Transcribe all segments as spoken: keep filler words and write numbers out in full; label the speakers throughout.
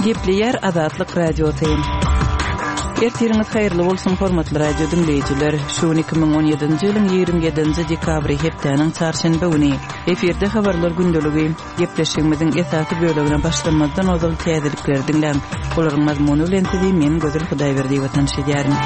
Speaker 1: Gepleýär Azatlyk Radiosy. Ertiriňiz haýyrly bolsun, hormatly radio diňleýjiler. Şu gün iki müň on ýedinji ýylyň ýigrimi ýedinji dekabry, hepdäniň çarşenbe güni. Efirde habarlar gündeligi. Gepleşigimiziň esasy bölegine başlamazdan ozal täzelikleri diňläň. Olaryň mazmuny bilen sizi men Gözel Hudaýberdiýewa tanyş edýärin.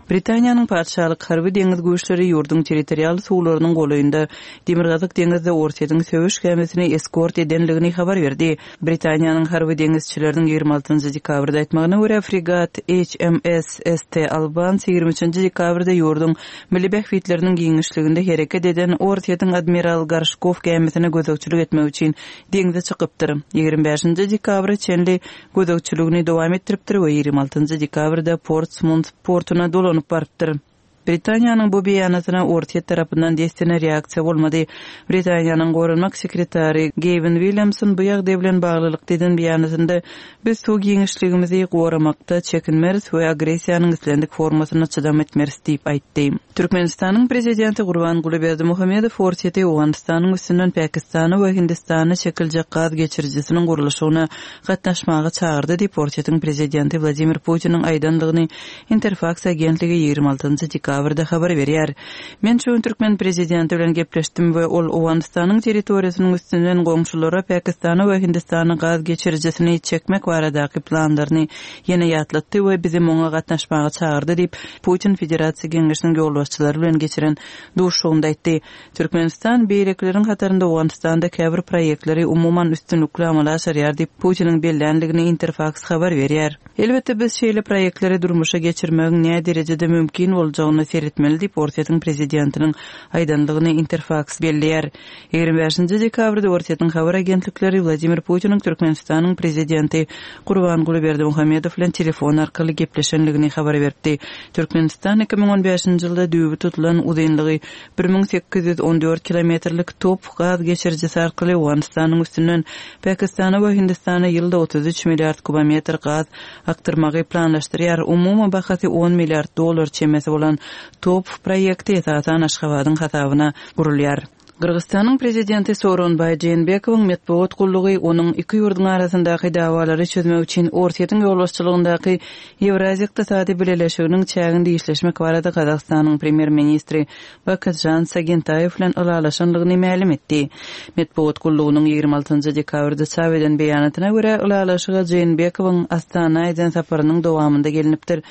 Speaker 1: Britaniýanyň Patyşalyk harby deňiz güýçleri ýurduň territorial suwlarynyň golaýynda Demirgazyk deňizde Orsýetiň söweş gämisini eskort edenligini habar berdi. Britaniýanyň harby deňizçileriniň ýigrimi altynjy dekabrda aýtmagyna görä, fregat H M S S T Albans ýigrimi üçünji dekabrda ýurduň milli bähbitleriniň giňişliginde hereket eden Orsýetiň Admiral Gorşkow gämisine gözegçilik etmek üçin deňze çykypdyr. Ýigrimi bäşinji dekabra çenli gözegçiligini dowam etdiripdir we ýigrimi altynjy dekabrda Portsmouth portuna dolanyp barypdyr. Britaniýanyň bu beýanatyna Orsýet tarapyndan dessine reaksiýa bolmady. Britaniýanyň goranmak sekretary Gavin Williamson bu ýagdaý bilen baglylykda eden beýanatynda biz suw giňişligimizi goramakda çekinmeris we agressiýanyň islendik formasyna çydam etmeris diýip aýtdy. Türkmenistanyň prezidenti Gurbanguly Berdimuhamedow Orsýeti Owganystanyň üstünden Pakistana we Hindistana çekiljek gaz geçirijisiniň gurluşygyna gatnaşmaga çagyrdy diýip Orsýetiň prezidenti Wladimir Putiniň aýdandygyny Interfax agentligi ýigrimi altynjy dekabrda habar berýär. Men şu gün türkmen prezidenti bilen gepleşdim we ol Owganystanyň territoriýasynyň üstünden goňşulara Pakistana we Hindistana gaz geçirijisini çekmek baradaky planlaryny ýene ýatlatdy we bizi muňa gatnaşmaga çagyrdy diýip Putin Federasiýa Geňeşiniň ýolbaşçylary bilen geçiren duşuşygynda aýtdy. Türkmenistan beýlekileriň hatarynda Owganystanda käbir proýektleri umuman üstünlikli amala aşyrýar diýip Putiniň bellänligini Interfax habar berýär. Elbetde biz şeýle proýektleri durmuşa geçirmegiň näme derejede mümkin boljagyny seyretmeli diýip Orsýetiň prezidentiniň aýdanlygyny Interfax belleýär. Ýigrimi bäşinji dekabrda Orsýetiň habar agentlikleri Wladimir Putiniň Türkmenistanyň prezidenti Gurbanguly Berdimuhamedow bilen telefon arkaly gepleşenligini habar berdi. Türkmenistan iki müň on bäşinji ýylda düýbi tutulan uzynlygy bir müň sekiz ýüz on dört kilometrlik top gaz geçirijisi arkaly Owganystanyň üstünden Pakistana we Hindistana ýylda otuz üç milliard kubometr gaz akdyrmagy planlaşdyrýar. Umumy bahasy on milliard dollar çemesi bolan top proýekti esasan Aşgabadyň hasabyna gurulýar. Gyrgyzystanyň prezidenti Sooronbaý Jeenbekowyň metbugat gullugy onuň iki ýurduň arasyndaky dawalary çözmek üçin Orsýetiň ýolbaşçylygyndaky Ýewraziýa Ykdysady Bileleşiginiň çäginde işleşmek barada Gazagystanyň premýer-ministri Bakatjan Sagentaýew bilen ylalaşanlygyny mälim etdi. Metbugat gullugynyň ýigrimi altynjy dekabrda çap eden beýanatyna görä ylalaşyga Jeenbekowyň Astana eden saparynyň dowamynda gelinipdir.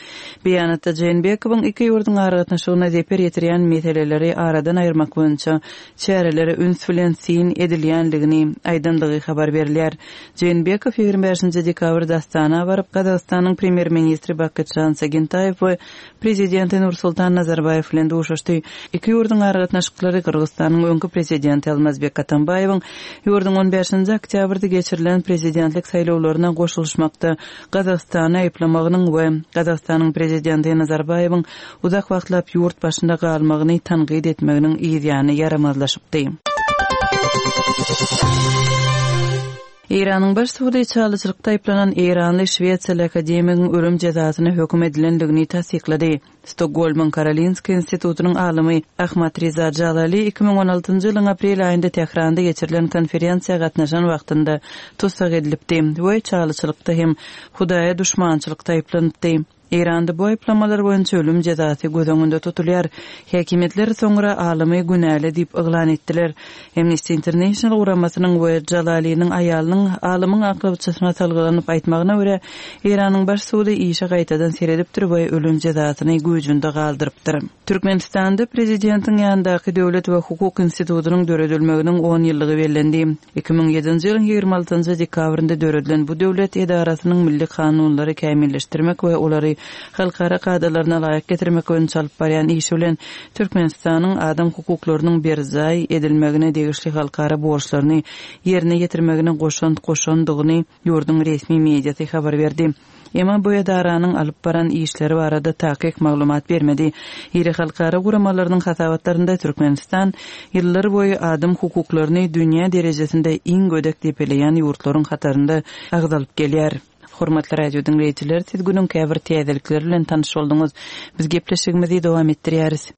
Speaker 1: Beýanatda Jeenbekowyň iki ýurduň aragatnaşygyna zeper ýetirýän meseleleri aradan aýyrmak boýunça çärelere üns bilen sin edilýänligini aýdanlygy habar berilýär. Jeenbekow ýigrimi bäşinji dekabrda Astana baryp, Gazagystanyň premýer-ministri Bakatjan Sagentaýew we prezidenti Nursultan Nazarbaýew bilen duşuşdy. Iki ýurduň aragatnaşyklary Gyrgyzystanyň öňki prezidenti Almazbek Atambaýewiň ýurduň on bäşinji oktýabrda geçirilen prezidentlik saýlawlaryna goşulyşmakda Gazagystany aýyplamagynyň we Gazagystanyň prezidenti Nazarbaýewiň uzak wagtlap ýurt başynda galmagyny tankyt etmeginiň ýany ýaramazlaşypdy. Eýranyň baş sudy çalyçylykda aýyplanan Eýranly Şwetsiýaly akademigiň ölüm jezasyna höküm edilendigini tassyklady. Stokgolmyň Karolinska institutynyň alymy Ahmad Riza Jalali iki müň on altynjy ýylyň aprel aýynda Tähranda geçirilen konferensiýa gatnaşan wagtynda tussag edilipdi we çalyçylykda hem Hudaýa duşmançylykda aýyplanypdy. Eýranda bu aýyplamalar boýunça ölüm jezasy göz öňünde tutulýar. Häkimiýetler soňra alymy günäli diýip yglan etdiler. Amnesty International guramasynyň we Jalaliniň aýalynyň alymyň aklawçysyna salgylanyp aýtmagyna görä, Eýranyň baş sudy işe gaýtadan seredipdir we ölüm jezasyny güýjünde galdyrypdyr. Türkmenistanda prezidentiň ýanyndaky Döwlet we hukuk institutynyň döredilmeginiň on ýyllygy bellendi. Iki müň ýedinji ýylyň ýigrimi altynjy dekabrynda döredilen bu döwlet edarasynyň milli kanunlary kämilleşdirmek we olary halkara kadalaryna laýyk getirmek boýunça alyp barýan işi bilen Türkmenistanyň adam hukuklarynyň berjaý edilmegine degişli halkara borçlaryny ýerine ýetirmegine goşant goşandygyny ýurduň resmi mediasy habar berdi. Emma bu edaranyň alyp baran işleri barada takyk maglumat bermedi. Iri halkara guramalarynyň hasabatlarynda Türkmenistan ýyllar boýy adam hukuklaryny dünýä derejesinde iň gödek depeleýän ýurtlaryň hatarynda agzalyp gelýär. Hormatly radio diňleýjiler, siz günüň käbir täzelikleri bilen tanyş bolduňyz. Biz gepleşigimizi dowam etdirýäris.